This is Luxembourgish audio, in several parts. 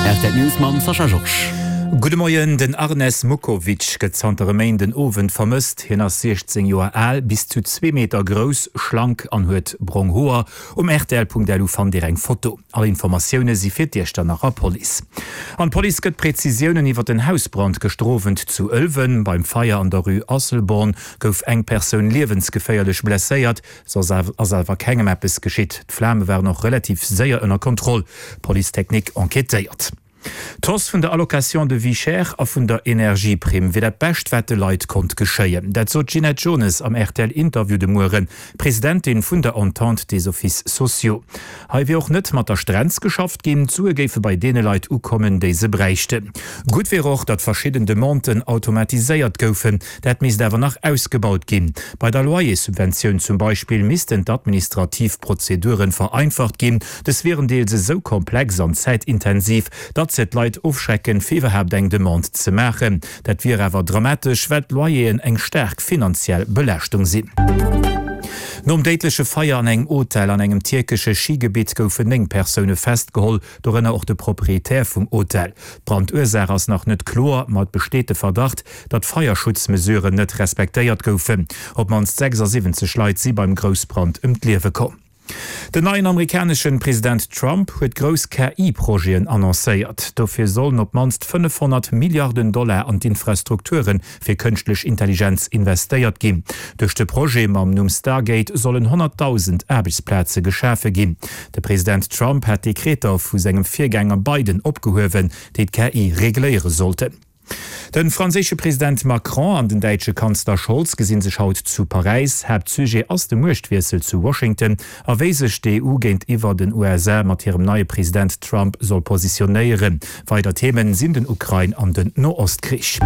Rtl News mam Sascha Georges. Gudde Moien, Den Arnes Mukovic gëtt zanter e Méinden Owend vermësst. Hien ass 16 Joer al, bis zu zwee Meter grouss, schlank an huet brong Hoer. Um rtl.lu fannt Dir eng Foto. All Informatioune si fir d'Iechternacher Police. An d'Police gëtt Prezisiounen iwwer den Hausbrand gëschter Owend zu Ëlwen. Beim Feier an der Rue Asselborn gouf eng Persoun liewensgeféierlech blesséiert. Soss ass awer kengem eppes geschitt. D'Flame waren och relativ séier ënner Kontroll. D'Police technique enquêtéiert. D'Hausse vun der Allocation de vie chère a vun der Energieprimm wier dat Bescht, wat de Leit konnt geschéien. Dat sot d'Ginette Jones am RTL-Interview de Mueren, Presidentin vun der Entente des Offices sociaux. Hei wier och net mat der Strenz geschafft ginn, d'Sue géife bei deene Leit ukommen, déi se bräichten. Gutt wier och, datt verschidden Demanden automatiséiert goufen. Dat misst awer nach ausgebaut ginn. Bei der Loyerssubventioun zum Beispill missten d'administrativ Prozeduren vereinfacht ginn. Dës wieren deels esou komplex an zäitintensiv, datt se d'Leit ofschrecken, fir iwwerhaapt eng Demande ze maachen. Dat wier awer dramatesch, well d'Loyeren eng staark finanziell Belaaschtung sinn. Nom déidleche Feier an engem Hotel an engem tierkesche Schigebitt goufen 9 Persoune festgeholl, dorënner och de Proprietär vum Hotel. D'Brandursaach ass nach net kloer, ma et besteet de Verdacht, datt Feierschutzmesuren net respektéiert goufen. Op d'mannst 76 Leit si beim Groussbrand ëm d'Liewe komm. Den neien amerikaneschen President Trump huet grouss KI-Projeten annoncéiert. Dofir sollen op d'mannst 500 Milliarden Dollar an d'Infrastrukture fir kënschtlech Intelligenz investéiert ginn. Duerch de Projet mam Numm Stargate sollen 100.000 Aarbechtsplaze geschafe ginn. De President Trump hat Dekreter vu sengem Virgänger Biden opgehuewen, déi d'KI regléiere sollten. De franséische President Macron an den däitsche Kanzler Scholz gesinn sech haut zu Paräis. Haaptsujet ass de Muechtwiessel zu Washington a wéi sech d'EU géintiwwer den USA mat hirem neie President Trump soll positionéieren. Weider Themen sinn den Ukrain an den Noostkrich.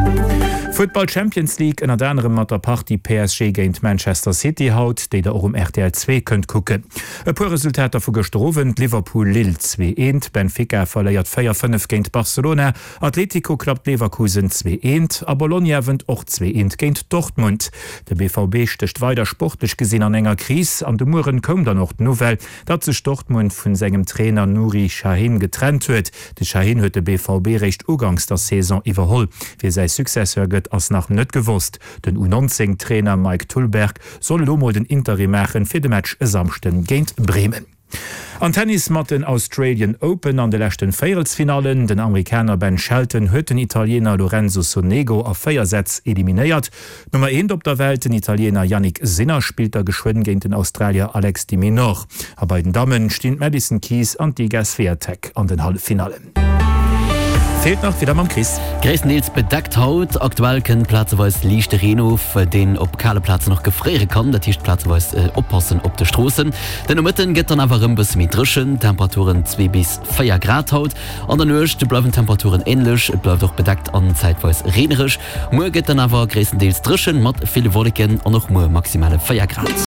Futtball Champions League, ënnert anerem mat der Partie PSG géint Manchester City haut, déi der och um rtl 2 kënnt kucken. E puer Resultater vu gëschter Owend, Liverpool, Lille 2, 1, Benfica verléiert 4, 5 géint Barcelona, Atletico klappt Leverkusen 2, 1 a Bologna wënnt och 2, 1 géint Dortmund. De BVB stécht weider sportlech gesinn an enger Kris an de Mueren koum dann och d'Nouvelle, datt sech Dortmund vun sengem Trainer Nuri Sahin getrennt huet. De Sahin huet de BVB réischt uganks der Saison iwwerholl. Wie säi Successeur gëtt, ass nach net gewosst. Den U19 Trainer Mike Tullberg soll elo mol den Interim maachen fir de Match e Samschden géint Bremen. An Tennis mat den Australian Open an de leschten Véierelsfinallen. Den Amerikaner Ben Shelton huet den Italiener Lorenzo Sonego a 4 Sätz eliminéiert. D'Nummer eent op der Welt, den Italiener Jannik Sinner, spillt da geschwënn géint den Australier Alex de Minaur. A bei den Dammen stinn d'Madison Keys an d'Iga Swiatek an den Halleffinallen. Feelt nach d'Wieder mam Chris. Gréisstendeels bedeckt haut. Aktuell kënnt plazeweis liichte Reen of, deen op kale Plazen och gefréiere kann. Dat heescht plazeweis oppassen op de Stroossen. Den Nomëtten gëtt dann awer erëm bësse méi dréchen, Temperaturen 2 bis 4 Grad haut. An der Nuecht bleiwen d'Temperaturen änlech, et bleift och bedeckt an zäitweis reenereg. Muer gëtt dann awer gréisstendeels dréchen mat ville Wolleken an och muer maximale 4 Grad.